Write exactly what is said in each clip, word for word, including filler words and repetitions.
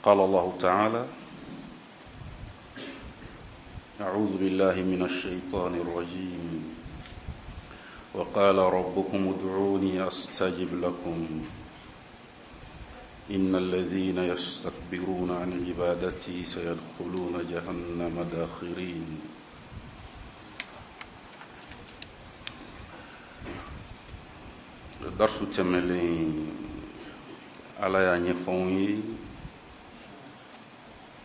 قال الله تعالى: أعوذ بالله من الشيطان الرجيم، وقال ربكم ادعوني أستجب لكم إن الذين يستكبرون عن عبادتي سيدخلون جهنم داخرين. Darsu tɛmɛlen, Ala y'a ɲɛfɔ anw ye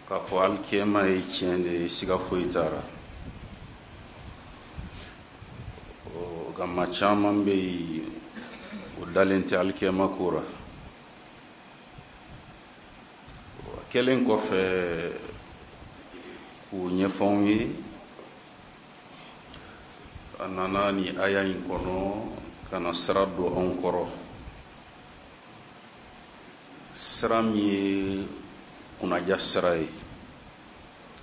k'a fɔ alikiyama ye tiɲɛ de ye, siga foyi t'a la. Nka maa caman bɛ yen, o dalen tɛ alikiyama ko la. A kɛlen kɔfɛ k'o ɲɛfɔ anw ye, a nana ni aya in kɔnɔ ka na sira don anw kɔrɔ, sira min ye kunnaja sira ye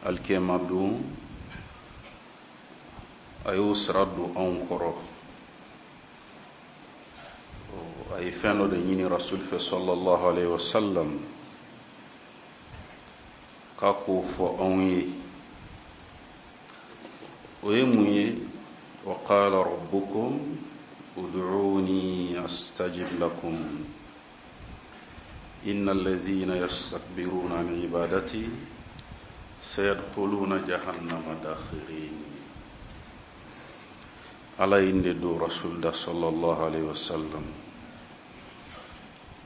alikiyama don. A y'o sira don anw kɔrɔ. A ye fɛn dɔ de ɲini Rasul fɛ sallallahu alayhi wa sallam k'a k'o fɔ anw ye. O ye mun ye? Wa qala rabbukum ud'uni astajib lakum inna alladhina yastakbiruna an ibadati sayadkhuluna jahannama dakhirin. Ala ye nin de don Rasul da sallallahu alayhi wa sallam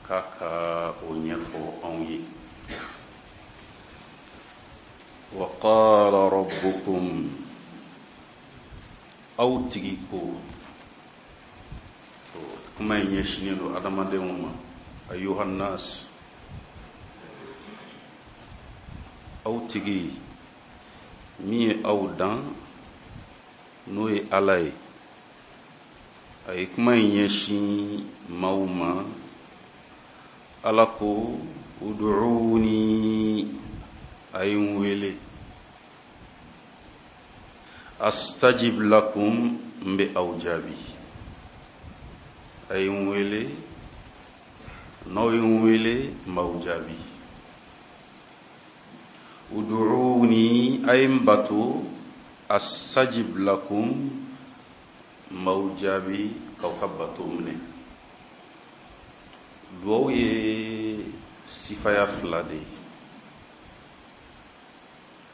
k'a ka o ɲɛfɔ anw ye. Wa qala rabbukum, aw tigi ko, kuma in ɲɛsinnen don adamadenw ma, ayuha nnas, aw tigi min ye aw dan, n'o ye Ala ye. A ye kuma in ɲɛsin maaw ma. Ala ko: ud'uni, a ye n wele, astajib lakum, n bɛ aw jaabi. A ye n wele, n'aw ye n wele, n b'aw jaabi. Ud'uni, a ye n bato, astajib lakum, n b'aw jaabi k'aw ka bato minɛ. Duwawu ye sifaya fila de ye.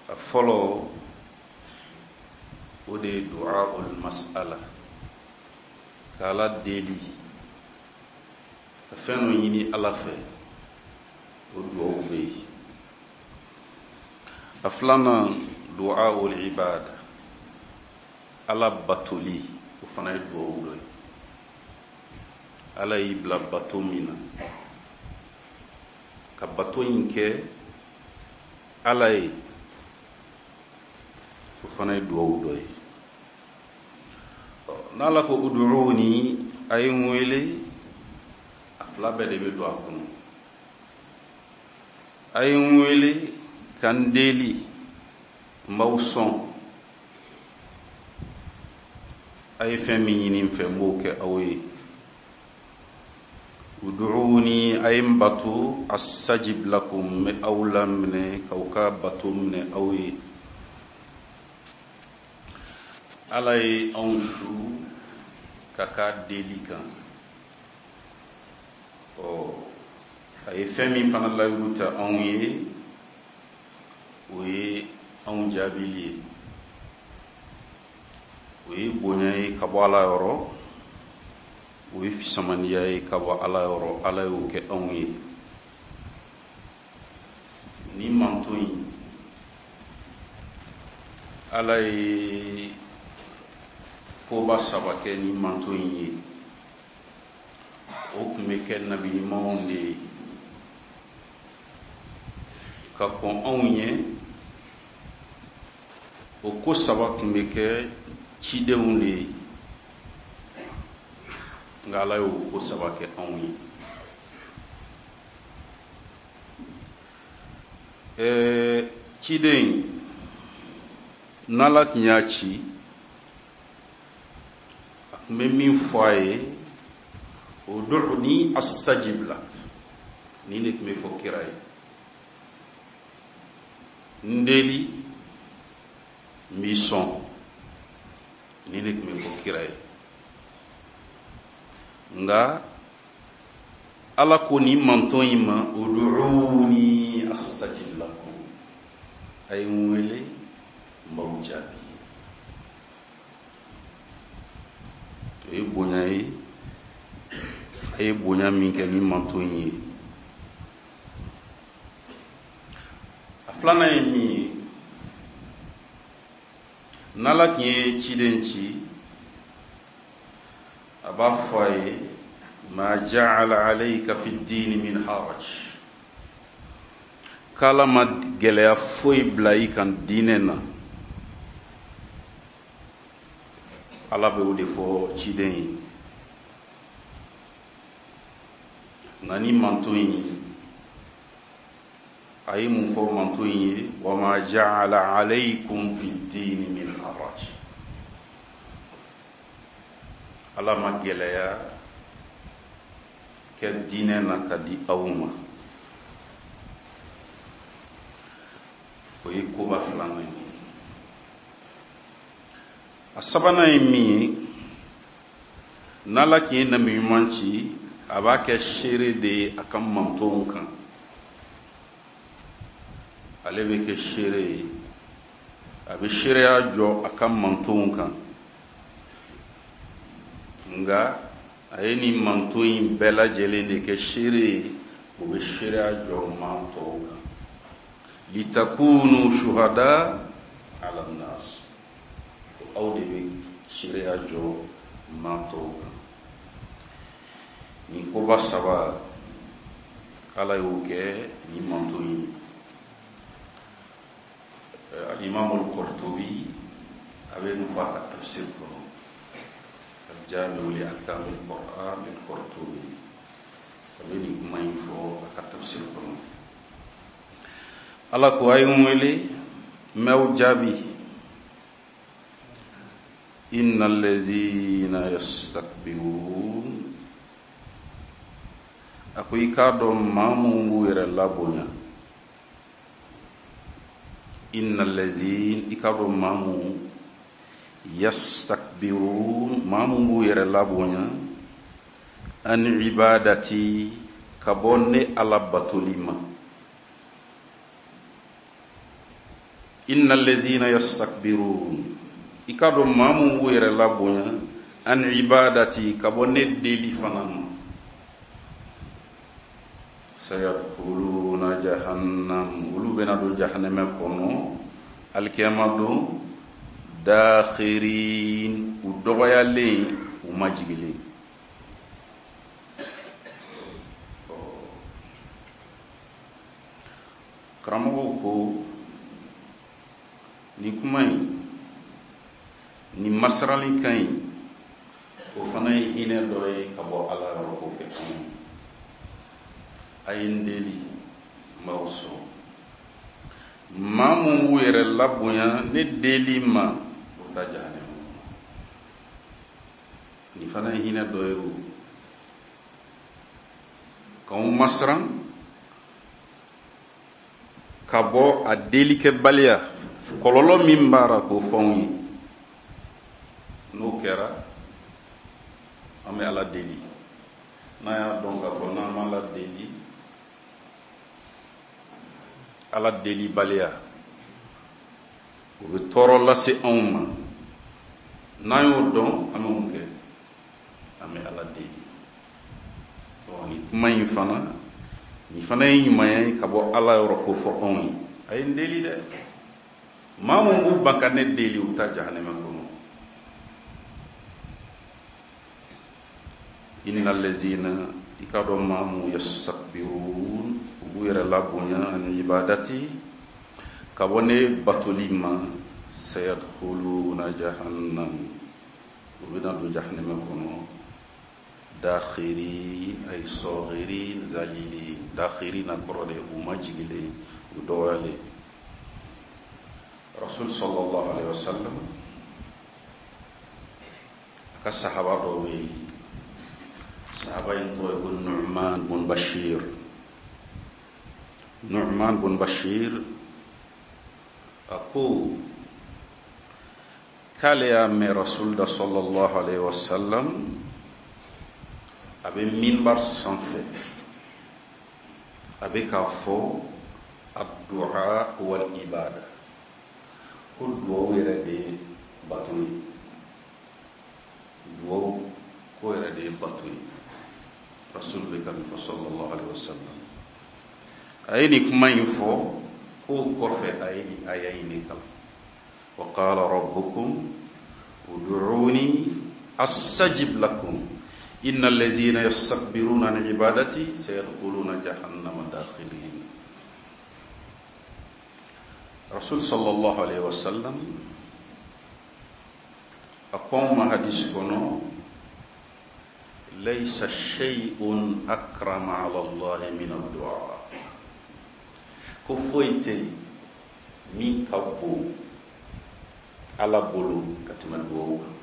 A fɔlɔ, o de ye du'a ul mas'ala, k'Ala deli ka fɛn dɔ ɲini Ala fɛ, o duwawu bɛ yen. A filanan, du'a ul ibada, Ala batoli, o fana ye duwawu dɔ ye. Ala y'i bila bato min na, ka bato in kɛ Ala ye, o fana ye duwawu dɔ ye. N'Ala ko ud'uni, a ye n wele, a fila bɛɛ de bɛ don a kɔnɔ. A ye n wele ka n deli, n b'aw sɔn. A ye fɛn min ɲini n fɛ, n b'o kɛ aw ye. Ud'uni, a ye n bato, astajib lakum, n bɛ aw laminɛ k'aw ka bato minɛ aw ye. Ala ye anw su ka k'a deli kan. Ɔ, a ye fɛn min fana layiru ta anw ye, o ye anw jaabili ye. O ye bonya ye ka bɔ Ala yɔrɔ, o ye fisamaniya ye ka bɔ Ala yɔrɔ. Ala y'o kɛ anw ye. Ni manto in, Ala ye koba saba kɛ ni manto in ye. O tun bɛ kɛ nabi ɲumanw de ye ka kɔn anw ɲɛ. O ko saba tun bɛ kɛ cidenw de ye, nka Ala y'o ko saba kɛ anw ye. Ɛɛ ciden, n'Ala tun y'a ci, a tun bɛ min fɔ a ye: ud'uni astajib lak. Nin de tun bɛ fɔ kira ye. N deli, n b'i sɔn. Ni ne tun bɛ fɔ kira ye. Nka Ala ko nin manton in ma, ud'uni astajib lakum, a ye n wele n b'aw jaabi. O ye bonya ye, a ye bonya min kɛ nin manton in ye. A filanan ye min ye, n'Ala tun ye ciden ci, a b'a fɔ a ye ma ja'ala alayka fi ddini min haraj, k'Ala ma gɛlɛya foyi bila i kan diinɛ na. Ala bɛ o de fɔ ciden ye. Nka ni manton in ye, a ye mun fɔ manton in ye? Wa ma ja'ala alaykum fi ddini min haraj, Ala ma gɛlɛya kɛ diinɛ na ka di aw ma. O ye koba filanan ye. A sabanan ye min ye, n'Ala tun ye nabi ɲuman ci, a b'a kɛ seere de ye a ka mantonw kan. Ale bɛ kɛ seere ye, a bɛ seereya jɔ a ka mantonw kan. Nka a ye nin manton in bɛɛ lajɛlen de kɛ seere ye, o bɛ seereya jɔ maa tɔw kan. Litakunu shuhada ala nnas, aw de bɛ seereya jɔ maa tɔw kan. Nin koba saba, Ala y'o kɛ nin manton in ye. Al-Imam al-Qurtubi a bɛ nin fɔ a ka tafsir kɔnɔ, Al-Jami' li Ahkam al-Qur'an al-Qurtubi, a bɛ nin kuma in fɔ a ka tafsir kɔnɔ. Ala ko a ye n wele, n b'aw jaabi. Inna alladhina yastakbirun, a ko i k'a dɔn maa minnu b'u yɛrɛ labonya. Inna alladhina, i k'a dɔn maa minnu yastakbirun, maa minnu b'u yɛrɛ labonya, an ibadati, ka bɔ ne Ala batoli ma. Inna alladhina yastakbirun, i k'a dɔn maa minnu b'u yɛrɛ labonya, an ibadati, ka bɔ ne deli fana ma. Sayadkhuluna jahannam, olu bɛna don jahanama kɔnɔ alikiyama don, dakhirin, u dɔgɔyalen, u majigilen. Karamɔgɔw ko nin kuma in, nin masiralikan in, o fana ye hinɛ dɔ ye ka bɔ Ala yɔrɔ k'o kɛ anw ye. A ye n deli, n b'aw sɔn. Maa mun b'u yɛrɛ labonya ne deli ma, o ta jahanama kɔnɔ. Nin fana ye hinɛ dɔ ye o, k'anw masiran ka bɔ a delikɛbaliya kɔlɔlɔ min b'a la k'o fɔ anw ye. N'o kɛra, an bɛ Ala deli. N'an y'a dɔn k'a fɔ n'an ma Ala deli, Ala delibaliya o bɛ tɔɔrɔ lase anw ma. N'an y'o dɔn, an bɛ mun kɛ? An bɛ Ala deli. Ɔ, nin kuma in fana, nin fana ye ɲumanya ye ka bɔ Ala yɔrɔ k'o fɔ anw ye. A ye n deli dɛ. Maa mun b'u ban ka ne deli, u bɛ taa jahanama kɔnɔ. Inna allazina, i k'a dɔn maa mun yastakbirun, u b'u yɛrɛ labonya ani ibadati, ka bɔ ne batoli ma, sayadkhuluna jahannam, u bɛna don jahanama kɔnɔ, dakhirin ay saghirin zalilin. Dakhirin na kɔrɔ de u majigilen, u dɔgɔyalen. Rasul sallallahu alaihi wasallam a ka sahaba dɔw bɛ yen, sahaba in tɔgɔ ye ko Nu'man bun Bashir. Nu'man bun Bashir A ko k'ale y'a mɛn Rasul da sallallahu alaihi wasallam a bɛ minbar sanfɛ, a bɛ k'a fɔ addu'a wal ibada, ko duwawu yɛrɛ de ye bato ye, duwawu ko yɛrɛ de ye bato ye. Rasul bɛ ka nin fɔ sallallahu alaihi wasallam. A ye nin kuma in fɔ k'o kɔfɛ a ye nin aya in de kalan: wa qala rabbukum ud'uni astajib lakum inna allazina yastakbiruna an ibadati sayadkhuluna jahannama dakhirin. Rasul sallallahu alaihi wasallam a ko anw ma hadisi kɔnɔ: laysa shay'un akrama ala Allahi min ad-du'a. Ko foyi tɛ yen min ka bon Ala bolo ka tɛmɛ duwawu kan.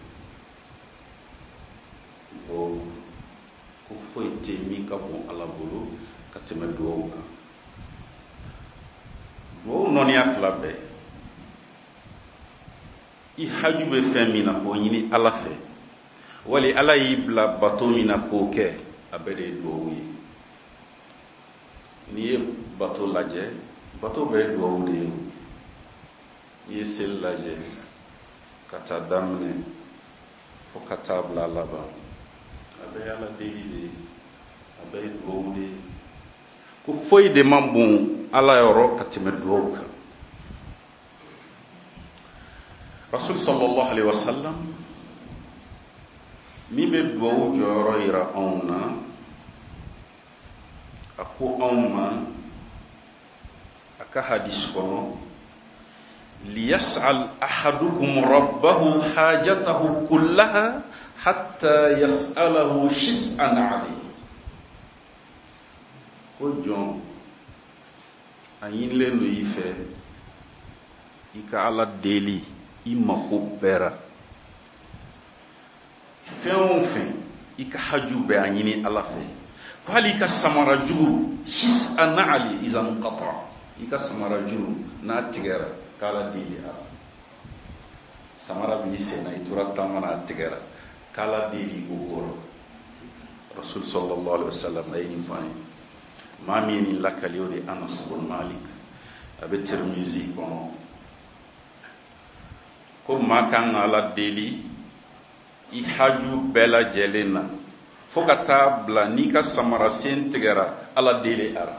Duwawu, ko foyi tɛ yen min ka bon Ala bolo ka tɛmɛ duwawu kan. Duwawu nɔniya fila bɛɛ, i haju bɛ fɛn min na k'o ɲini Ala fɛ, wali Ala y'i bila bato min na k'o kɛ, a bɛɛ de ye duwawu ye. N'i ye bato lajɛ, bato bɛɛ ye duwawu de ye. N'i ye seli lajɛ ka taa daminɛ fo ka taa bila laban, a bɛɛ ye Ala deli de ye, a bɛɛ ye duwawu de ye. Ko foyi de man bon Ala yɔrɔ ka tɛmɛ duwawu kan. Rasul sallallahu alaihi wasallam min bɛ duwawu jɔyɔrɔ yira anw na, a ko anw ma a ka hadisi kɔnɔ: liyas'al ahadukum rabbahu hajatahu kullaha hatta yas'alahu shis'an alayhi. Ko jɔn, a ɲinilen don i fɛ i ka Ala deli i mako bɛɛ ra, fɛn o fɛn i ka haju bɛɛ a ɲini Ala fɛ. Ko hali i ka samara juru, shis'an ali izan qata, i ka samara juru n'a tigɛra, k'Ala deli a la. Samara b'i sen na, i tora taama na, a tigɛra, k'Ala deli o kɔrɔ. Rasul sallallahu alaihi wasallam a ye nin fɔ an ye. Maa min ye nin lakali, o de ye Anas bin Malik, a bɛ Tirmizi kɔnɔ. Ko maa kan ka Ala deli i haju bɛɛ lajɛlen na, fo ka taa bila n'i ka samara sen tigɛra, Ala deli a la.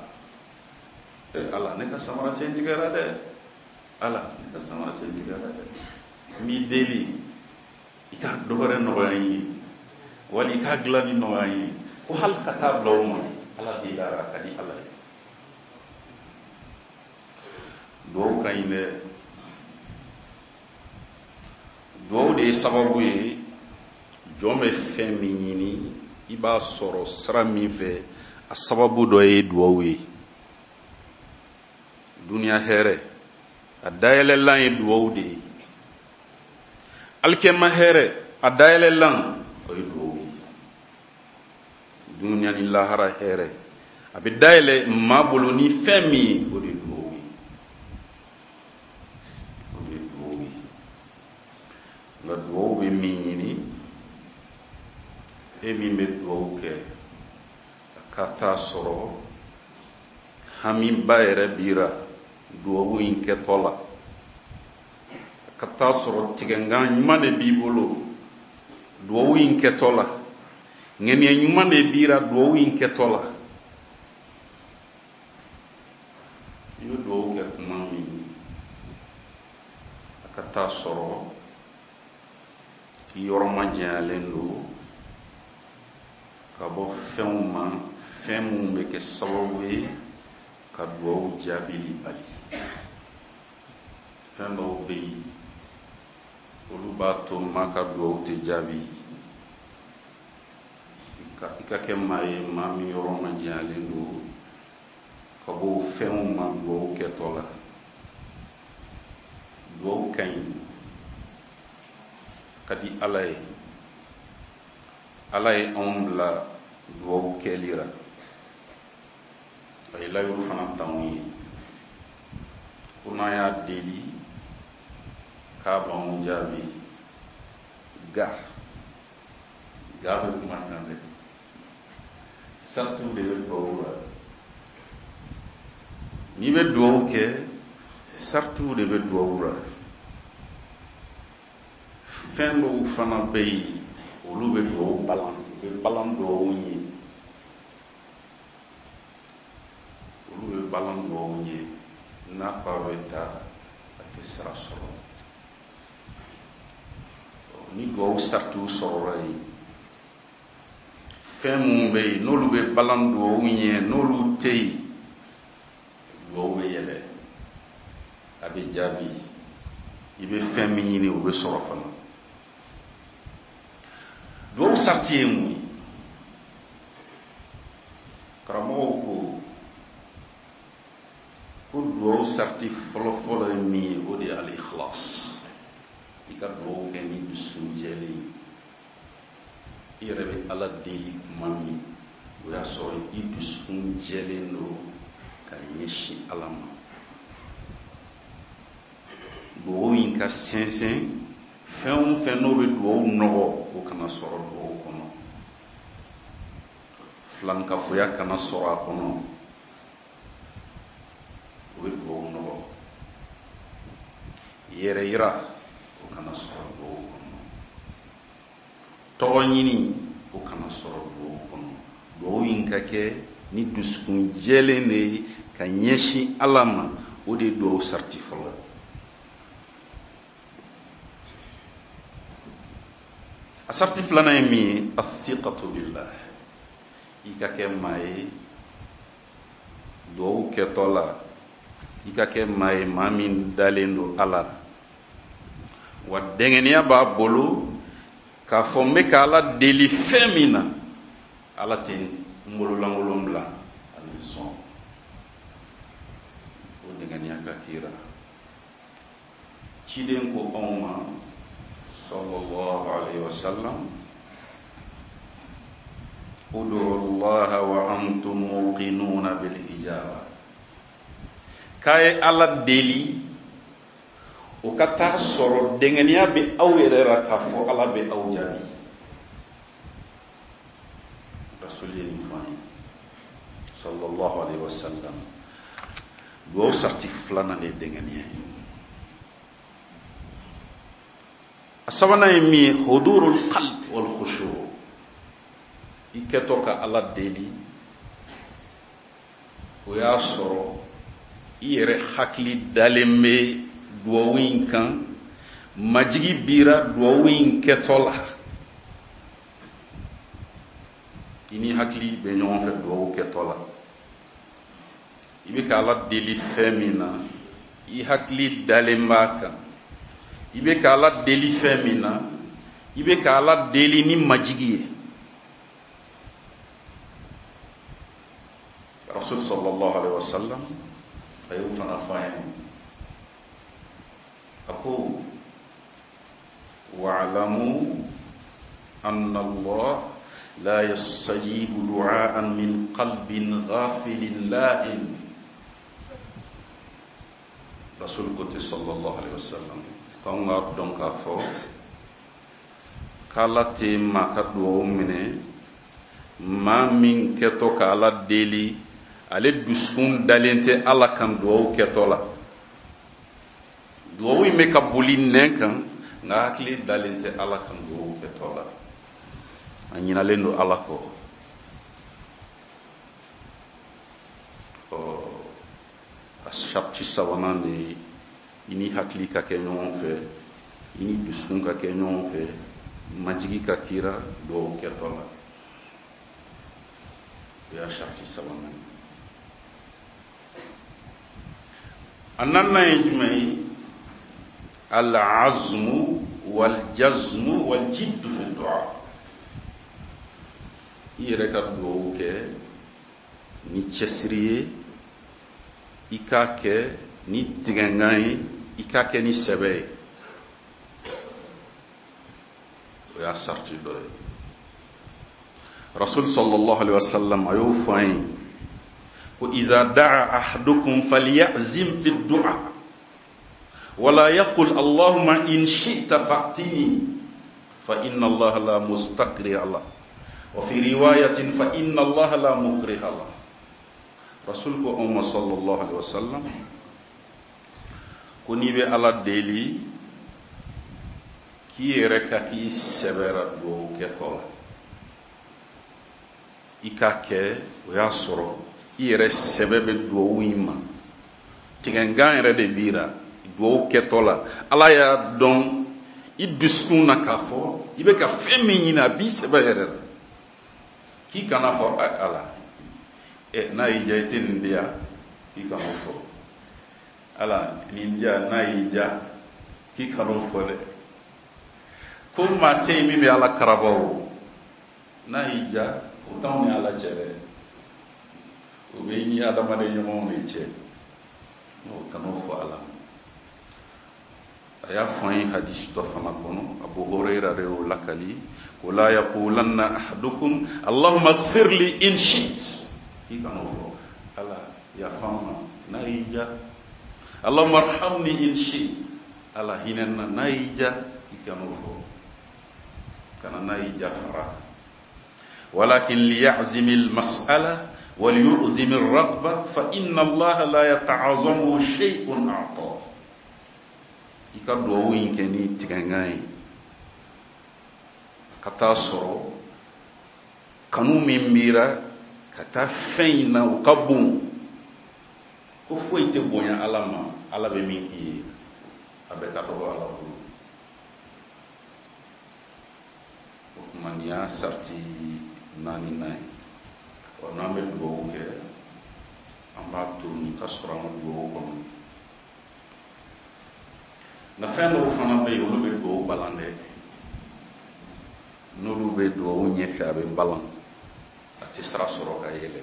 Eh, Ala, ne ka samara sen tigɛra dɛ, Ala, ne ka samara sen tigɛra dɛ, n b'i deli i ka dɔ wɛrɛ nɔgɔya n ye, wali i ka dilanni nɔgɔya n ye. Ko hali ka taa bila o ma, Ala deli a la, a ka di Ala ye. Duwawu ka ɲi dɛ. Duwawu de ye sababu ye, jɔn bɛ fɛn min ɲini i b'a sɔrɔ sira min fɛ, a sababu dɔ ye duwawu ye. Duniya hɛrɛ a dayɛlɛlan ye duwawu de ye, alikɛma hɛrɛ a dayɛlɛlan o ye duwawu ye. Duniya ni lahara hɛrɛ a bɛ dayɛlɛ maa bolo ni fɛn min ye, o de ye duwawu ye, o de ye duwawu ye. Nka duwawu bɛ min ɲini, e min bɛ duwawu kɛ, a ka taa sɔrɔ hamiba yɛrɛ b'i ra duwawu in kɛtɔ la, a ka taa sɔrɔ tigɛnkan ɲuman de b'i bolo duwawu in kɛtɔ la, ŋaniya ɲuman de b'i ra duwawu in kɛtɔ la. I bɛ duwawu kɛ kuma min, a ka taa sɔrɔ i yɔrɔ majanyalen don ka bɔ fɛnw ma, fɛn minnu bɛ kɛ sababu ye ka duwawu jaabili bali. Fɛn dɔw bɛ yen, olu b'a to maa ka duwawu tɛ jaabi. I ka kɛ maa ye, maa min yɔrɔ majanyalen don ka bɔ fɛnw ma duwawu kɛtɔ la. Duwawu ka ɲi, ka di Ala ye. Ala ye anw bila duwawu kɛli la, a ye layiru fana t'anw ye ko n'an y'a deli K'a b'anw jaabi ga ga bɛ kuma kan dɛ, saratiw de bɛ duwawu la. N'i bɛ duwawu kɛ, saratiw de bɛ duwawu la. Fɛn dɔw fana bɛ yen, olu bɛ duwawu balan, u bɛ balan duwawu ye, olu bɛ balan duwawu ye. N'a ko a bɛ taa, a tɛ sira sɔrɔ. Ni duwawu saratiw sɔrɔla yen, fɛn minnu bɛ yen n'olu bɛ balan duwawu ɲɛ, n'olu tɛ yen, duwawu bɛ yɛlɛ, a bɛ jaabi. I bɛ fɛn min ɲini, o bɛ sɔrɔ fana. Duwawu sarati ye mun ye? Karamɔgɔw ko ko duwawu sarati fɔlɔfɔlɔ ye min ye, o de ye al-ikhlas. I ka duwawu kɛ ni dusukun jɛlen ye. I yɛrɛ bɛ Ala deli tuma min, o y'a sɔrɔ i dusukun jɛlen don ka ɲɛsin Ala ma. Duwawu in ka sɛnsɛn, fɛn o fɛn n'o bɛ duwawu nɔgɔ, o kana sɔrɔ duwawu kɔnɔ. Filankafoya kana sɔrɔ a kɔnɔ, o bɛ duwawu nɔgɔ. Yɛrɛ yira, o kana sɔrɔ duwawu kɔnɔ. Tɔgɔ ɲini, o kana sɔrɔ duwawu kɔnɔ. Duwawu in ka kɛ ni dusukun jɛlen de ye ka ɲɛsin Ala ma, o de ye duwawu sarati fɔlɔ ye. A sarati filanan ye min ye, athiqatu billah. I ka kɛ maa ye duwawu kɛtɔ la, i ka kɛ maa ye maa min dalen don Ala la, wa dɛngɛniya b'a bolo k'a fɔ n bɛ ka Ala deli fɛn min na, Ala tɛ n bololankolon bila, a bɛ sɔn. O dɛngɛniya ka k'i la. Ciden ko anw ma sallallahu alayhi wa sallam, ud'u Allah wa antum muqinuna bil ijaba. K'a ye Ala deli, o ka taa sɔrɔ dɛngɛniya bɛ aw yɛrɛ la k'a fɔ Ala bɛ aw jaabi. Rasul ye nin fɔ an ye sallallahu alayhi wa sallam. Duwawu sarati filanan de ye dɛngɛniya ye. A sabanan ye min ye, hudurul qalb wal khushu. I kɛtɔ ka Ala deli, o y'a sɔrɔ i yɛrɛ hakili dalen bɛ duwawu in kan, majigi bira duwawu in kɛtɔ la. I ni hakili bɛ ɲɔgɔn fɛ duwawu kɛtɔ la. I bɛ ka Ala deli fɛn min na, i hakili dalen b'a kan. I bɛ ka Ala deli fɛn min na, i bɛ ka Ala deli ni majigi ye. Rasul sallallahu alaihi wa sallam a y'o fana fɔ an ye. A ko wa'lamu anna Allah la yastajibu du'aan min qalbin ghafilin lahin. Rasul ko ten sallallahu alaihi wa sallam, k'anw k'a dɔn k'a fɔ k'Ala tɛ maa ka duwawu minɛ, maa min kɛtɔ ka Ala deli, ale dusukun dalen tɛ Ala kan duwawu kɛtɔ la. Duwawu in bɛ ka boli nɛn kan, nka hakili dalen tɛ Ala kan duwawu kɛtɔ la. A ɲinalen don Ala kɔ. Ɔ, a sarati sabanan de ye i ni hakili ka kɛ ɲɔgɔn fɛ, i ni dusukun ka kɛ ɲɔgɔn fɛ, majigi ka kira duwawu kɛtɔ la. O y'a sarati sabanan ye. A naaninan ye jumɛn ye? Al-azmu wal-jazmu wal-jiddu fi du'a. I yɛrɛ ka duwawu kɛ ni cɛsiri ye, i k'a kɛ ni tigɛnkan ye, i k'a kɛ ni sɛbɛ ye. O y'a sarati dɔ ye. Rasul sallallahu alaihi wa sallam a y'o fɔ an ye ko idha da'a ahadukum falyazim fi du'a Wala yaqul Allahumma in shi'ta fa'tini fa inna Allah la mustakriha lah. Wa fi riwayatin fa inna Allah la mukriha lah. Rasul ko anw ma sallallahu alaihi wasallam ko n'i bɛ Ala deli k'i yɛrɛ ka k'i sɛbɛra duwawu kɛtɔ la, i k'a kɛ o y'a sɔrɔ i yɛrɛ sɛbɛ bɛ duwawu in ma, tigɛngan yɛrɛ de b'i la duwawu kɛtɔ la. Ala y'a dɔn i dusukun na k'a fɔ i bɛ ka fɛn min ɲini a b'i sɛbɛ yɛrɛ la, k'i kana fɔ Ala ɛ n'a y'i diya i tɛ nin di yan, k'i kan'o fɔ. Ala nin di yan n'a y'i diya k'i kan'o fɔ dɛ. Ko maa tɛ yen min bɛ Ala karaba o, n'a y'i diya o t'anw ni Ala cɛ dɛ, o bɛ i ni adamaden ɲɔgɔnw de cɛ, n'o kan'o fɔ Ala. A y'a fɔ an ye hadisi dɔ fana kɔnɔ, Abu Hurayra de y'o lakali, ko la yaqulanna ahadukum Allahumma ighfir li in shi't, k'i kan'o fɔ. Ala yafa n ma n'a y'i diya, Allahumma arhamni in shi't, Ala hinɛ n na n'a y'i diya, k'i kan'o fɔ, kana n'a y'i diya fara. Walakin liya'zimi al-mas'ala wa liyu'zimi ar-raghba fa inna Allaha la yata'azamu shay'un a'ta. I ka duwawu in kɛ ni tigɛngan ye ka taa sɔrɔ kanu min b'i ra ka taa fɛn in na o ka bon, ko foyi tɛ bonya Ala ma, Ala bɛ min k'i ye a bɛɛ ka dɔgɔ Ala bolo. O tuma nin y'a sariti naaninan ye. Ɔ n'an bɛ duwawu kɛ an b'a to nin ka sɔrɔ an ka duwawu kɔnɔ. Nka fɛn dɔw fana bɛ yen olu bɛ duwawu balan dɛ, n'olu bɛ duwawu ɲɛfɛ a bɛ balan, a tɛ sira sɔrɔ ka yɛlɛ.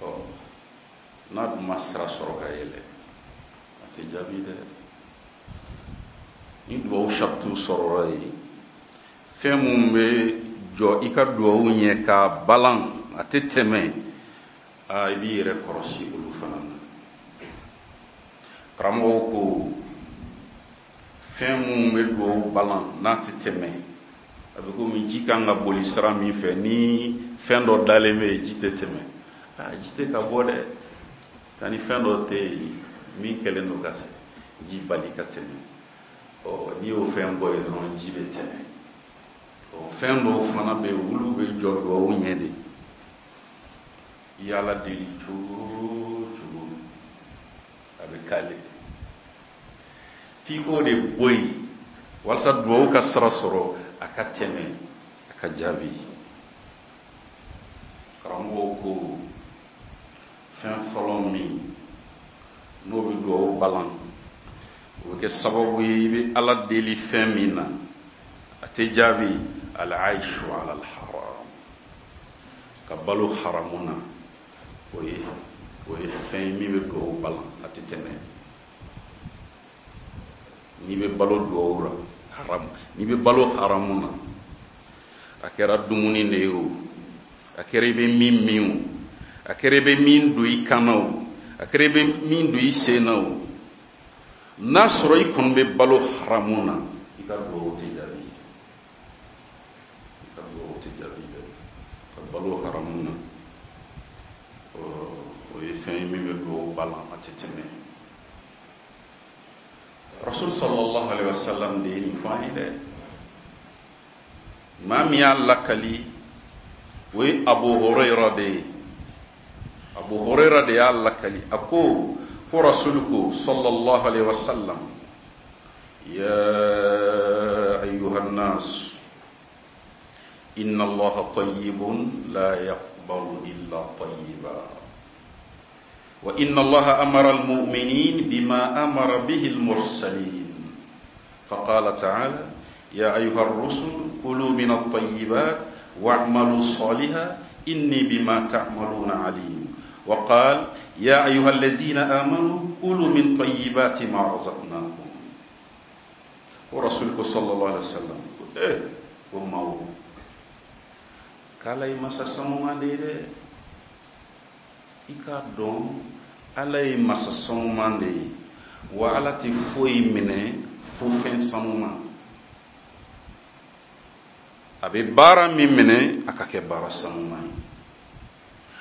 Ɔ n'a dun ma sira sɔrɔ ka yɛlɛ a tɛ jaabi dɛ. Ni duwawu saritiw sɔrɔla yen, fɛn mun bɛ jɔ i ka duwawu ɲɛ k'a balan a tɛ tɛmɛ, aa i b'i yɛrɛ kɔlɔsi olu fana na. Karamɔgɔw ko fɛn mun bɛ duwawu balan n'a tɛ tɛmɛ, a bɛ komi ji kan ka boli sira min fɛ ni fɛn dɔ dalen bɛ yen ji tɛ tɛmɛ, aa ji tɛ ka bɔ dɛ, nka ni fɛn dɔ tɛ yen min kɛlen don ka ji bali ka tɛmɛ, ɔ n'i y'o fɛn bɔ yen dɔrɔn ji bɛ tɛmɛ. Ɔ fɛn dɔw fana bɛ yen olu bɛ jɔ duwawu ɲɛ de. I y'Ala deli cogo o cogo a bɛ k'ale, f'i k'o de bɔ yen walasa duwawu ka sira sɔrɔ a ka tɛmɛ a ka jaabi. Karamɔgɔw ko fɛn fɔlɔ min n'o bɛ duwawu balan, o bɛ kɛ sababu ye i bɛ Ala deli fɛn min na a tɛ jaabi, al-aishu ala al-haram, ka balo haramu na, o ye o ye fɛn ye min bɛ duwawu balan a tɛ tɛmɛ. N'i bɛ balo duwawu la haramu, n'i bɛ balo haramu na, a kɛra dumuni de ye o, a kɛra i bɛ min min o, a kɛra i bɛ min don i kan na o, a kɛra i bɛ min don i sen na o, n'a sɔrɔ i kɔni bɛ balo haramu na, i ka duwawu tɛ jaabi, i ka duwawu tɛ jaabi dɛ. Ka balo haramu na, o ye fɛn ye min bɛ duwawu balan a tɛ tɛmɛ. Rasul sallallahu alaihi wasallam de ye nin fɔ an ye dɛ. Maa min y'a lakali o ye Abu Hurayra de ye. Abu Hurayra de y'a lakali, a ko ko Rasul ko sallallahu alaihi wasallam, ya ayyuhan nas inna Allaha tayyibun la yaqbalu illa tayyiba wa inna Allaha amara al-mu'minin bima amara bihi al-mursalin faqala ta'ala ya ayyuha ar-rusul kulu min at-tayyibat wa'malu salihan inni bima ta'maluna alim wa qala ya ayyuha allazina amanu kulu min tayyibati ma razaqnakum. Wa rasulku sallallahu alaihi wasallam eh ko mawo k'Ala ye masa sanuman de ye dɛ, i k'a dɔn Ala ye masa sanuman de ye, Wa Ala tɛ foyi minɛ fo fɛn sanuma. A bɛ baara min minɛ, a ka kɛ baara sanuma ye.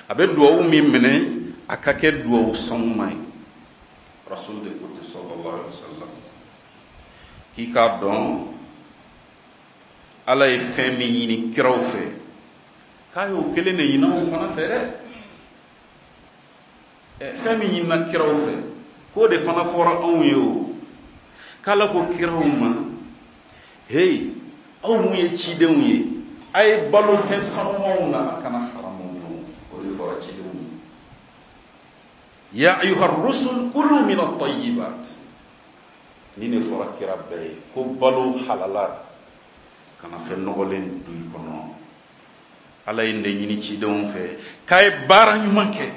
A bɛ duwawu min minɛ, a ka kɛ duwawu sanuma ye. Rasul de ko ten sallallahu alaihi wasallam k'i k'a dɔn Ala ye fɛn min ɲini kiraw fɛ, k'a y'o kelen de ɲini anw fana fɛ dɛ. Fɛn min ɲinina kiraw fɛ, k'o de fana fɔra anw ye o. K'Ala ko kiraw ma, hey, aw mun ye cidenw ye, a ye balo fɛn sanumanw na, a kana haramu dun. O de fɔra cidenw ye. Ya ayuha rusul kulu min at-tayyibat. Ni ne fɔra kira bɛɛ ye ko balo halala, kana fɛn nɔgɔlen dun i kɔnɔ. Ala ye nin de ɲini cidenw fɛ, k'a ye baara ɲuman kɛ.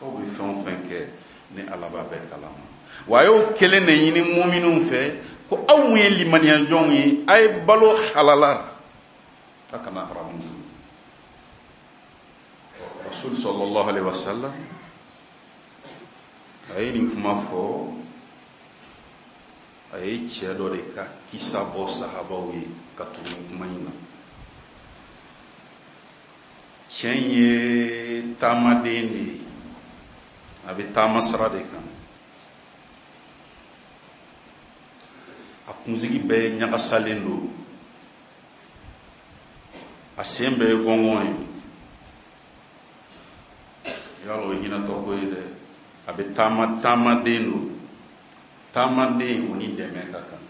Aw bɛ fɛn o fɛn kɛ, ni Ala b'a bɛɛ kalama. Wa a y'o kelen de ɲini muminunw fɛ, ko aw mun ye limaniyajɔnw ye, a ye balo halala, a kana haramu dun. Rasul sallallahu alaihi wasallam a ye nin kuma fɔ, a ye cɛ dɔ de ka kisa bɔ sahabaw ye ka tugu kuma in na. Cɛ in ye taamaden de ye, a bɛ taama sira de kan. A kunsigi bɛɛ ɲagasalen don, a sen bɛɛ ye gɔngɔn ye. Yala o ye hinɛtɔ ko ye dɛ. A bɛ taama, taamaden don. Taamaden o ni dɛmɛ ka kan.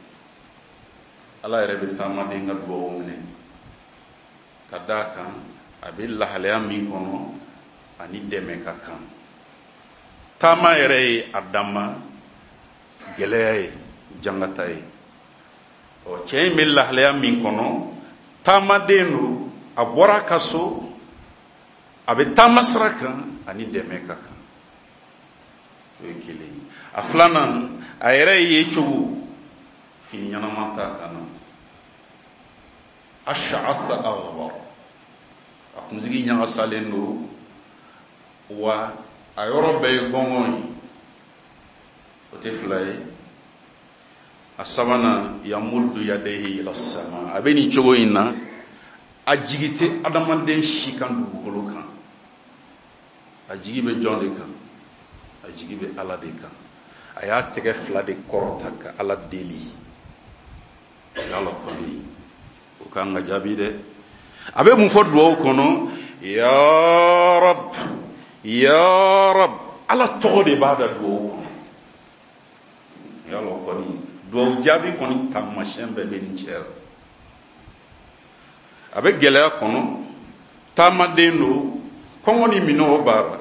Ala yɛrɛ bɛ taamaden ka duwawu minɛ ka d'a kan a bɛ lahalaya min kɔnɔ, ani dɛmɛ ka kan. Taama yɛrɛ ye a danma gɛlɛya ye, jangata ye. Ɔ, cɛ in bɛ lahalaya min kɔnɔ, taamaden don, a bɔra a ka so, a bɛ taama sira kan, ani dɛmɛ ka kan. O ye kelen ye. A filanan, a yɛrɛ ye cogo, fini ɲɛnama t'a kan na. Ash'atha aghbar, a kunsigi ɲagasalen don, wa a yɔrɔ bɛɛ ye gɔngɔn ye. O tɛ fila ye. A sabanan, yamuddu yadayhi ila sama, a bɛ nin cogo in na, a jigi tɛ adamaden si kan dugukolo kan. A jigi bɛ jɔn de kan? A jigi bɛ Ala de kan. A y'a tɛgɛ fila de kɔrɔta ka Ala deli. Yala kɔni o kan ka jaabi dɛ. A bɛ mun fɔ duwawu kɔnɔ? Ya Rab, ya Rab. Ala tɔgɔ de b'a da duwawu kɔnɔ. Yala kɔni duwawu jaabi kɔni taamasiyɛn bɛɛ bɛ nin cɛ la. A bɛ gɛlɛya kɔnɔ, taamaden don, kɔngɔ ni minɔgɔ b'a la,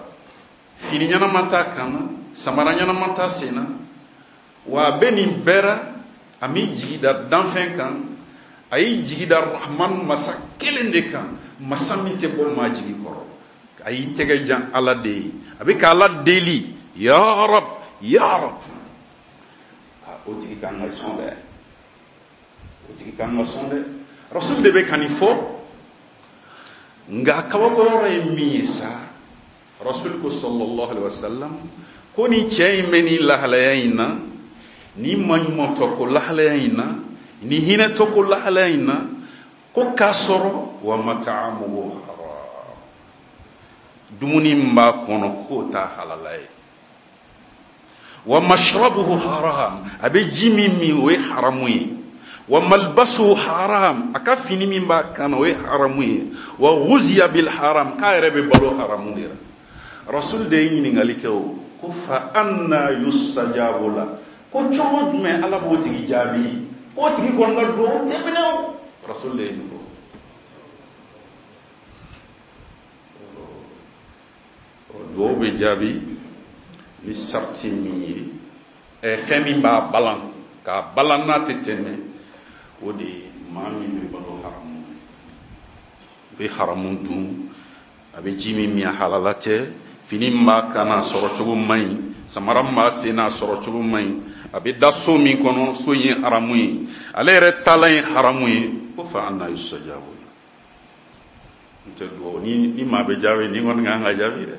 fini ɲɛnama t'a kan na, samara ɲɛnama t'a sen na, wa a bɛ nin bɛɛ la, a m'i jigi da danfɛn kan, a y'i jigi da Rahman masa kelen de kan, masa min tɛ bɔ maa jigi kɔrɔ. A y'i tɛgɛ jan Ala de ye, a bɛ ka Ala deli, ya Rab, ya Rab. O tigi kan ka sɔn dɛ, o tigi kan ka sɔn dɛ. Rasul de bɛ ka nin fɔ, nka kabako yɔrɔ ye min ye sa, Rasul ko sallallahu alaihi wasallam ko ni cɛ in bɛ nin lahalaya in na, ni maɲumantɔ ko lahalaya in na, ni hinɛtɔ ko lahalaya in na, ko k'a sɔrɔ wa mat'amuhu haram, dumuni min b'a kɔnɔ k'o t'a halala ye. Wa mashrabuhu haram, a bɛ ji min min o ye haramu ye. Wa malbasuhu haram, a ka fini min b'a kan na o ye haramu ye. Wa ghuziya bil haram, k'a yɛrɛ bɛ balo haramu de la. Rasul de ye ɲininkali kɛ o, ko fa anna yustajabu la, ko cogo jumɛn Ala b'o tigi jaabi, o tigi kɔni ka duwawu tɛ minɛ o. Rasul de ye nin fɔ. Duwawu bɛ jaabi ni sarati min ye, ɛ fɛn min b'a balan, k'a balan n'a tɛ tɛmɛ, o de ye maa min bɛ balo haramu, bɛ haramu dun, a bɛ ji min min a halala tɛ, fini min b'a kan na a sɔrɔ cogo man ɲi, samara min b'a sen na a sɔrɔ cogo man ɲi, a bɛ da so min kɔnɔ, so in ye haramu ye, ale yɛrɛ taalan ye haramu ye, ko fa anna yustajabu la. N tɛ duwawu ni ni maa bɛ jaabi, ni kɔni kan ka jaabi dɛ.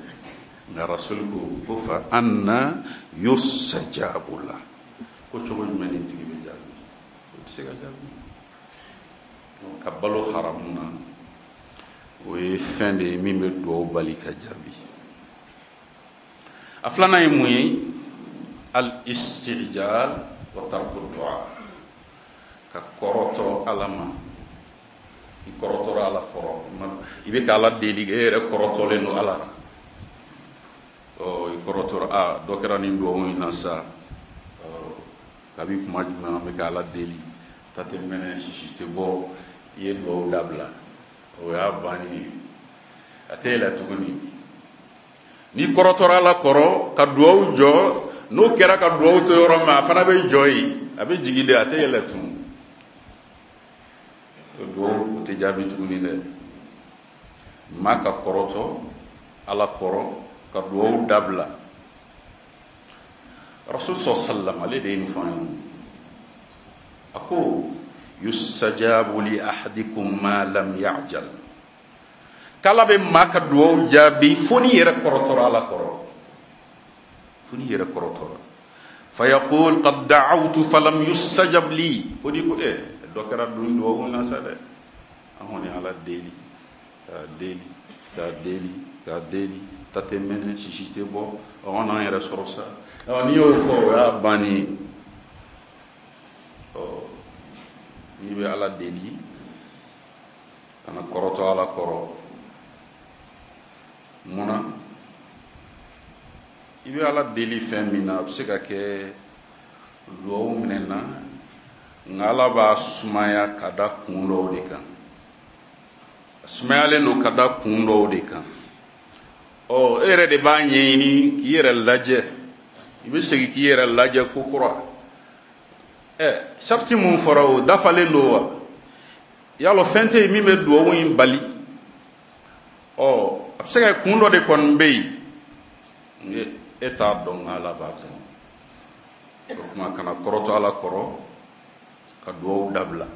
Nka rasul ko ko fa anna yustajabu la, ko cogo jumɛn nin tigi bɛ jaabi? O tɛ se ka jaabi. Ka balo haramu na, o ye fɛn de ye min bɛ duwawu bali ka jaabi. A filanan ye mun ye? Al istijal wa tarku du'a, ka kɔrɔtɔ Ala ma. I kɔrɔtɔra Ala kɔrɔ, i bɛ ka Ala deli, e yɛrɛ kɔrɔtɔlen don Ala la. Ɔ, i kɔrɔtɔra, a dɔ kɛra nin duwawu in na sa, kabi kuma jumɛn an bɛ ka Ala deli, ta tɛ mɛnɛ, sisi tɛ bɔ, i ye duwawu dabila, o y'a bannen ye, a tɛ yɛlɛ tuguni. N'i kɔrɔtɔra Ala kɔrɔ ka duwawu jɔ, n'o kɛra ka duwawu to yɔrɔ min, a fana bɛ jɔ yen, a bɛ jigin de, a tɛ yɛlɛ tun. O duwawu o tɛ jaabi tuguni dɛ. Maa ka kɔrɔtɔ Ala kɔrɔ ka duwawu dabila. Rasul sallallahu alaihi wasallam ale de ye nin fɔ an ye. A ko yustajabu li ahadikum ma lam ya'jal, k'Ala bɛ maa ka duwawu jaabi fo n'i yɛrɛ kɔrɔtɔra Ala kɔrɔ, fo n'i yɛrɛ kɔrɔtɔra. Fa yaqul qad da'awtu falam yustajab li, fo n'i ko eh dɔ kɛra dun duwawu na sa dɛ, an kɔni Ala deli k'a deli k'a deli k'a deli, ta tɛ mɛnɛ, sisi tɛ bɔ, an n'an yɛrɛ sɔrɔ sa. Ɔ, n'i y'o fɔ, o y'a bannen ye. Ɔ, n'i bɛ Ala deli, kana kɔrɔtɔ Ala kɔrɔ. Munna? I bɛ Ala deli fɛn min na, a bɛ se ka kɛ duwawu minɛ na, nka Ala b'a sumaya ka da kun dɔw de kan. A sumayalen don ka da kun dɔw de kan. Ɔ, e yɛrɛ de b'a ɲɛɲini k'i yɛrɛ lajɛ, i bɛ segin k'i yɛrɛ lajɛ ko kura. Ɛ, sariti mun fɔra, o dafalen don wa? Yalɔ fɛn tɛ yen min bɛ duwawu in bali? Ɔ, a bɛ se ka kɛ kun dɔ de kɔni bɛ yen, e t'a dɔn, nka Ala b'a dɔn. O tuma kana kɔrɔtɔ Ala kɔrɔ ka duwawu dabila.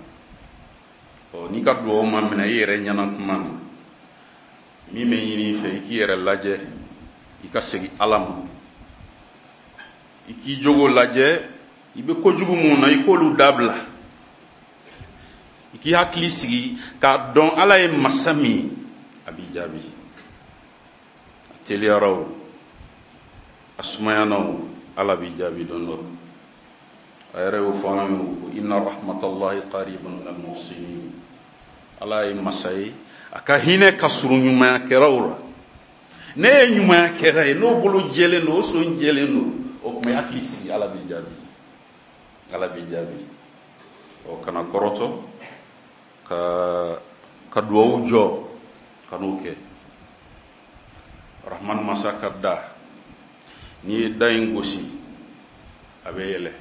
Ɔ, n'i ka duwawu ma minɛ i yɛrɛ ɲɛna kuma na, min bɛ ɲini i fɛ, i k'i yɛrɛ lajɛ, i ka segin Ala ma, i k'i jogo lajɛ, i bɛ kojugu mun na, i k'olu dabila, i k'i hakili sigi k'a dɔn Ala ye masa min ye, a b'i jaabi. A teliyara o, a sumayana o, Ala b'i jaabi don dɔ. A yɛrɛ y'o fɔ an ye ko inna rahmatallahi qaribun minal muhsinin. Ala ye masa ye, a ka hinɛ ka surun ɲumanyakɛlaw la. Ne ye ɲumanyakɛla ye, n'o bolo jɛlen don, o son jɛlen don, o tuma i hakili sigi, Ala b'i jaabi, Ala b'i jaabi. Ɔ, kana kɔrɔtɔ ka ka duwawu jɔ, ka n'o kɛ. Rahman masa ka da, n'i ye da in gosi, a bɛ yɛlɛ.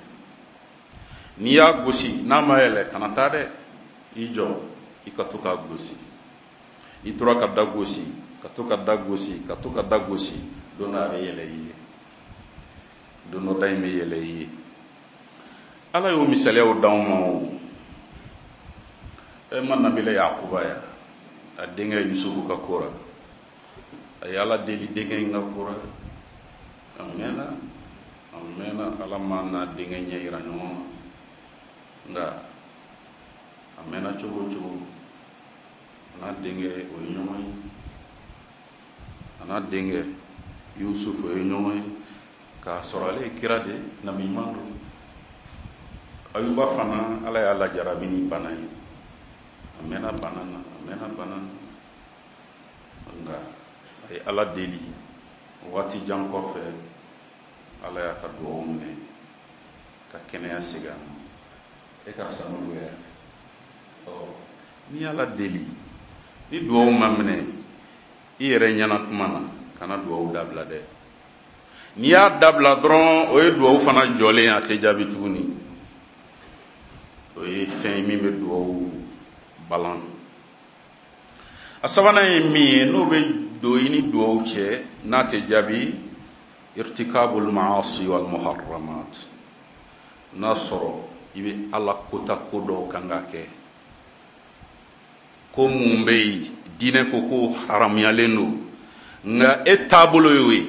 N'i y'a gosi n'a ma yɛlɛ, kana taa dɛ, i jɔ, i ka to k'a gosi. I tora ka da gosi, ka to ka da gosi, ka to ka da gosi, don dɔ a bɛ yɛlɛ i ye, don dɔ da in bɛ yɛlɛ i ye. Ala y'o misaliyaw d'anw ma o. E ma Nabila Yakuba ya, a denkɛ Yusufu ka ko la, a ye Ala deli denkɛ in ka ko la, a mɛnna, a mɛnna, Ala ma n'a denkɛ ɲɛ yira ɲɔgɔn na, nka a mɛnna cogo o cogo, a n'a denkɛ o ye ɲɔgɔn ye, a n'a denkɛ Yusuf o ye ɲɔgɔn ye, k'a sɔrɔ ale ye kira de, nabi ɲuman don. Ayuba fana, Ala y'a lajarabi ni bana ye, a mɛnna bana na, a mɛnna bana na, nka a ye Ala deli. Waati jan kɔfɛ, Ala y'a ka duwawu minɛ ka kɛnɛya segin a ma. E ka fisa n'olu ye. Ɔ, n'i y'Ala deli, ni duwawu ma minɛ i yɛrɛ ɲɛna kuma na, kana duwawu dabila dɛ. N'i y'a dabila dɔrɔn, o ye duwawu fana jɔlen ye, a tɛ jaabi tuguni. O ye fɛn ye min bɛ duwawu balan. A sabanan ye min ye, n'o bɛ don i ni duwawu cɛ n'a tɛ jaabi, irtikabul maasi wal muharramat. N'a sɔrɔ i bɛ Ala kota ko dɔw kan ka kɛ, ko mun bɛ yen diinɛ ko ko haramuyalen don, nka e taabolo y'o ye,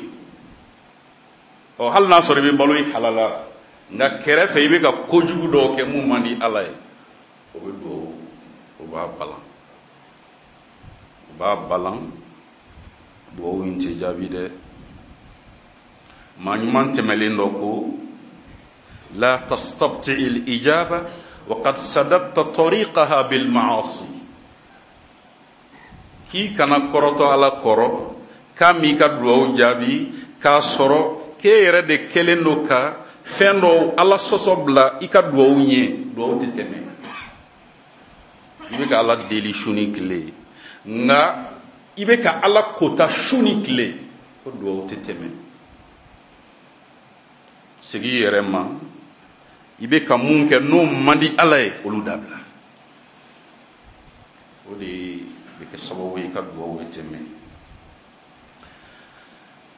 Ɔ hali n'a sɔrɔ i bɛ balo i halala, nka kɛrɛfɛ i bɛ ka kojugu dɔw kɛ mun man di Ala ye, o bɛ duwawu o b'a balan, o b'a balan. Duwawu in tɛ jaabi dɛ. Maa ɲuman tɛmɛlen dɔ ko la tastabti al-ijaba wa qad sadatta tariqaha bil ma'asi, k'i kana kɔrɔtɔ Ala kɔrɔ k'a m'i ka duwawu jaabi k'a sɔrɔ k'e yɛrɛ de kɛlen don ka fɛn dɔw Ala sɔsɔ bila i ka duwawu ɲɛ. Duwawu tɛ tɛmɛ. I bɛ ka Ala deli su ni tile, nka i bɛ ka Ala kota su ni tile, ko duwawu tɛ tɛmɛ. Segin i yɛrɛ ma, i bɛ ka mun kɛ n'o man di Ala ye, olu dabila. O de bɛ kɛ sababu ye i ka duwawu bɛ tɛmɛ.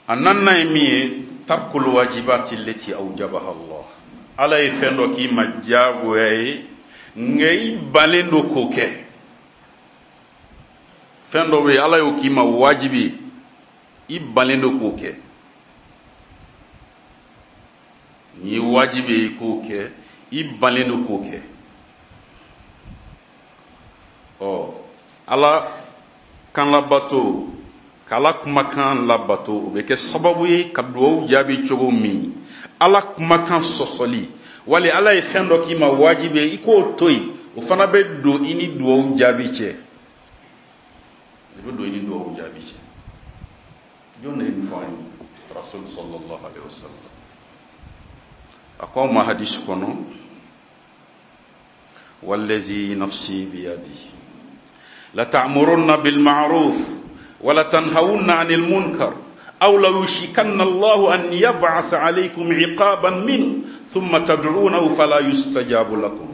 A naaninan ye min ye, tarkul wajibati lati awjabaha Allah. Ala ye fɛn dɔ k'i ma diyagoya ye, nka i balen don k'o kɛ. Fɛn dɔ bɛ yen, Ala y'o k'i ma wajibi, i balen don k'o kɛ. N'i ye wajibi ye i k'o kɛ, i balen don k'o kɛ. Ɔ Ala kan labato, k'Ala kumakan labato, o bɛ kɛ sababu ye ka duwawu jaabi cogo min. Ala kumakan sɔsɔli, wali Ala ye fɛn dɔ k'i ma wajibi ye, i k'o to yen, o fana bɛ don i ni duwawu jaabi cɛ. I bɛ don i ni duwawu jaabi cɛ. Jɔn de ye nin fɔ an ye? Rasul sallallahu alaihi wasallam. A ko anw ma hadisi kɔnɔ, wallazi nafsi biyadihi la ta'murunna bil ma'ruf wa la tanhawunna 'anil munkar aw la yushikanna Allahu an yab'atha 'alaykum 'iqaban minhu thumma tad'unahu fala yustajabu lakum.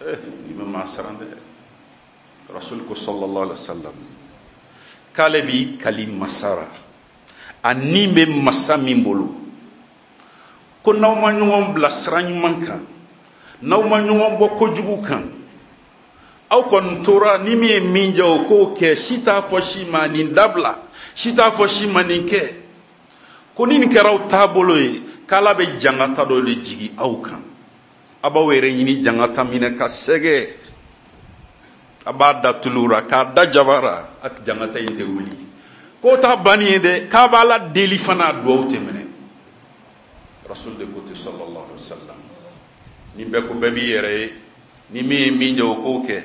Eh, ni bɛ maa siran dɛ. Rasul ko sallallahu alaihi wasallam k'ale b'i kali masara, a ni bɛ masa min bolo, ko n'aw ma ɲɔgɔn bila sira ɲuman kan, n'aw ma ɲɔgɔn bɔ kojugu kan, aw kɔni tora ni min ye min jɛ o k'o kɛ, si t'a fɔ si ma nin dabila, si t'a fɔ si ma nin kɛ, ko ni nin kɛra aw taabolo ye, k'Ala bɛ jangata dɔ de jigin aw kan. A b'aw yɛrɛ ɲini jangata minɛ ka sɛgɛ, a b'a da tulu la k'a da jaba la, a jangata in tɛ wuli. K'o t'a banni ye dɛ, k'a b'Ala deli fana, a duwawu tɛ minɛ. Rasul de ko ten sallallahu alaihi wasallam. Ni bɛɛ ko bɛɛ b'i yɛrɛ ye, ni min ye min jɛ o k'o kɛ.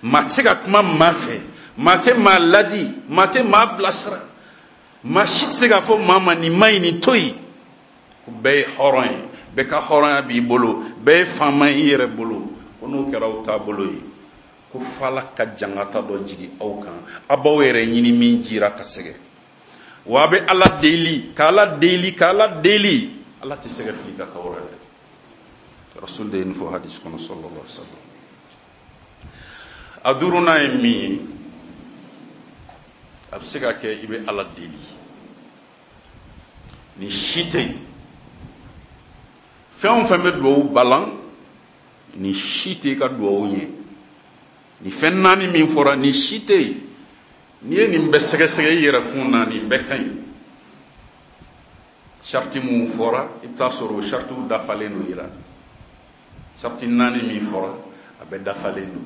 Maa tɛ se ka kuma maa fɛ, maa tɛ maa ladi, maa tɛ maa bilasira, maa si tɛ se k'a fɔ maa ma nin ma ɲi, nin to yen. Ko bɛɛ ye hɔrɔn ye, bɛɛ ka hɔrɔnya b'i bolo, bɛɛ ye faama ye i yɛrɛ bolo. Ko n'o kɛra aw taabolo ye, ko f'Ala ka jangata dɔ jigin aw kan, aw b'aw yɛrɛ ɲini min jira ka sɛgɛ. Wa a bɛ Ala deli, k'Ala deli, k'Ala deli, Ala tɛ sɛgɛ fili ka k'aw la dɛ. Rasul de ye nin fɔ hadisi kɔnɔ sallallahu alaihi wasallam. A duurunan ye min ye, a bɛ se ka kɛ i bɛ Ala deli, ni si tɛ yen, fɛn o fɛn bɛ duwawu balan, ni si tɛ i ka duwawu ɲɛ. Ni fɛn naani min fɔra, ni si tɛ yen, n'i ye nin bɛɛ sɛgɛsɛgɛ i yɛrɛ kun na, nin bɛɛ ka ɲi. Sariti mun fɔra, i bɛ taa sɔrɔ o saritiw dafalen don i la. Sariti naani min fɔra, a bɛɛ dafalen don.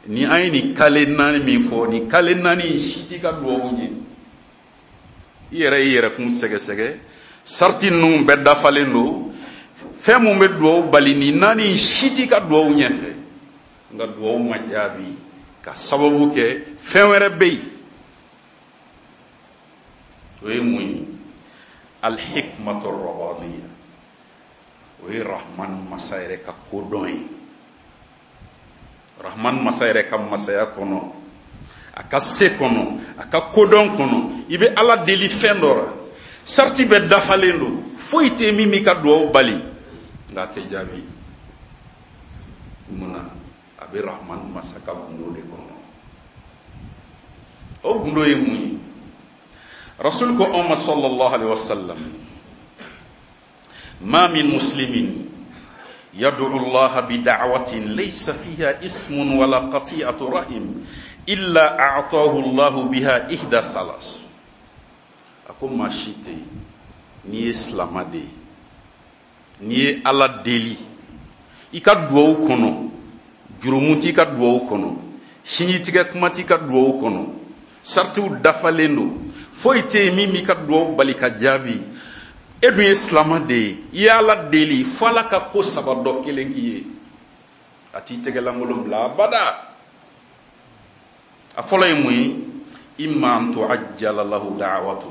Ni an ye nin kale naani min fɔ, nin kale naani si t'i ka duwawu ɲɛ. I yɛrɛ y'i yɛrɛ kun sɛgɛsɛgɛ, sariti ninnu bɛɛ dafalen don. Fɛn mun bɛ duwawu bali, nin naani si t'i ka duwawu ɲɛfɛ. Nka duwawu ma jaabi ka sababu kɛ fɛn wɛrɛ bɛ yen. O ye mun ye? Alhikmatu rabaniya. O ye Rahman masa yɛrɛ ka kodɔn ye. Rahman masa yɛrɛ ka masaya kɔnɔ, a ka se kɔnɔ, a ka kodɔn kɔnɔ, i bɛ Ala deli fɛn dɔ la, sariti bɛɛ dafalen don, foyi tɛ min b'i ka duwawu bali, nka a tɛ jaabi. Mun na? A bɛ Rahman masa ka gundo de kɔnɔ. O gundo ye mun ye? Rasul ko anw ma sallallahu alaihi wasallam, ma min muslimin yad'u Allah bi da'watin laysa fiha ithmun wala qati'atu rahim illa a'tahu Allah biha ihda thalas. A ko maa si tɛ yen N'i ye silama de ye, n'i ye Ala deli i ka duwawu kɔnɔ, jurumu t'i ka duwawu kɔnɔ, sinjitigɛ kuma t'i ka duwawu kɔnɔ, saritiw dafalen don, foyi tɛ yen min b'i ka duwawu bali ka jaabi. E dun ye silama de ye, i ye Ala deli fo Ala ka ko saba dɔ kelen k'i ye, a t'i tɛgɛlankolon bila abada. A fɔlɔ ye mun ye? Imma an tuajjala lahu da'watu,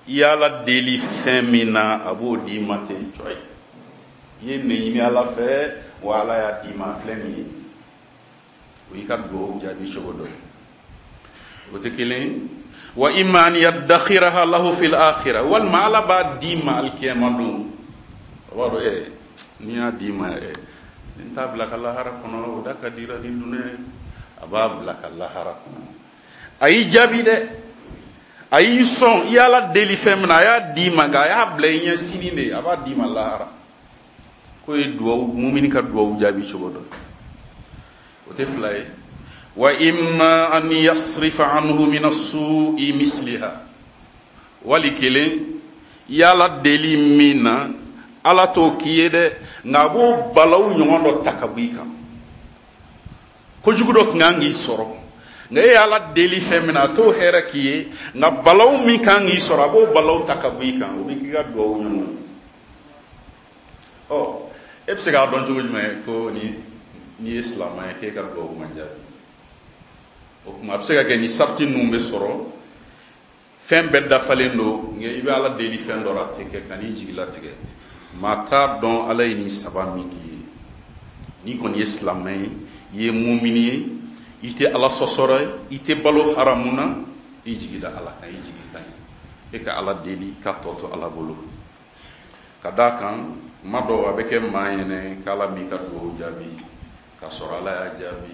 i ye Ala deli fɛn min na a b'o d'i ma ten cɔyi. I ye nin ɲini Ala fɛ, wa Ala y'a d'i ma, a filɛ nin ye. O y'i ka duwawu jaabi cogo dɔ ye. O tɛ kelen ye. Wa imma an yaddakhiraha lahu fil akhirah, walima Ala b'a d'i ma alikiyama don. O b'a dɔn ɛ n'i y'a d'i ma ɛ n t'a bila ka lahara kɔnɔ, o da ka dira ni dunan ye. A b'a bila ka lahara kɔnɔ. A y'i jaabi dɛ, a y'i sɔn, i y'Ala deli fɛn min na a y'a d'i ma, nka a y'a bila i ɲɛ sini de, a b'a d'i ma lahara. K'o ye duwawu, mumini ka duwawu jaabi cogo dɔ. O tɛ fila ye. Wa imma an yasrifa anhu min as-su'i misliha, wali kelen i y'Ala deli min na Ala t'o k'i ye dɛ, nka a b'o balawu ɲɔgɔn dɔ ta ka bɔ i kan. Kojugu dɔ tun kan k'i sɔrɔ, nka e y'Ala deli fɛn min na a t'o hɛrɛ k'i ye, nka balawu min kan k'i sɔrɔ a b'o balawu ta ka bɔ i kan, o bɛ k'i ka duwawu ɲɔgɔn ye. Ɔ e bɛ se k'a dɔn cogo jumɛn ko ni n'i ye silamɛ ye k'e ka duwawu man jaabi? O tuma a bɛ se ka kɛ ni sariti ninnu bɛ sɔrɔ, fɛn bɛɛ dafalen don, nka i bɛ Ala deli fɛn dɔ la a tɛ kɛ, ka n'i jigi latigɛ. Maa t'a dɔn Ala ye nin saba min k'i ye. N'i kɔni ye silamɛ ye, i ye mumini ye, i tɛ Ala sɔsɔra ye, i tɛ balo haramu na, i jigi da Ala kan, i jigi ka ɲi. E ka Ala deli k'a tɔ to Ala bolo. Ka d'a kan kuma dɔw a bɛ kɛ maa ɲɛnɛ k'Ala m'i ka duwawu jaabi, k'a sɔrɔ Ala y'a jaabi,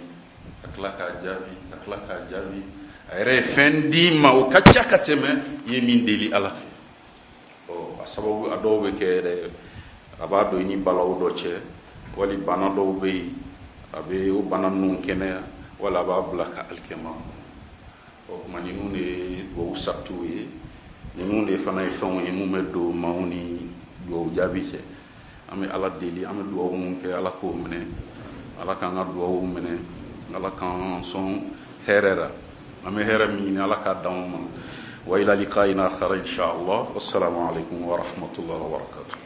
ka tila k'a jaabi, ka tila k'a jaabi. A yɛrɛ ye fɛn d'i ma o ka ca ka tɛmɛ i ye min deli Ala fɛ. Ɔ a sababu a dɔw bɛ kɛ yɛrɛ, a b'a don i ni balawu dɔ cɛ, wali bana dɔw bɛ yen a bɛ o bana ninnu kɛnɛya, wala a b'a bila ka alikɛma kɔnɔ. O tuma ninnu de ye duwawu saritiw ye, ninnu de fana ye fɛnw ye mun bɛ don maaw ni duwawu jaabi cɛ. An bɛ Ala deli, an bɛ duwawu mun kɛ Ala k'o minɛ, Ala k'an ka duwawu minɛ, Ala k'an sɔn hɛrɛ la. An bɛ hɛrɛ min ɲini Ala k'a d'anw ma. Wa ila liqa'ina akhar insha Allah. Wassalamu alaikum wa rahmatullahi wa barakatuh.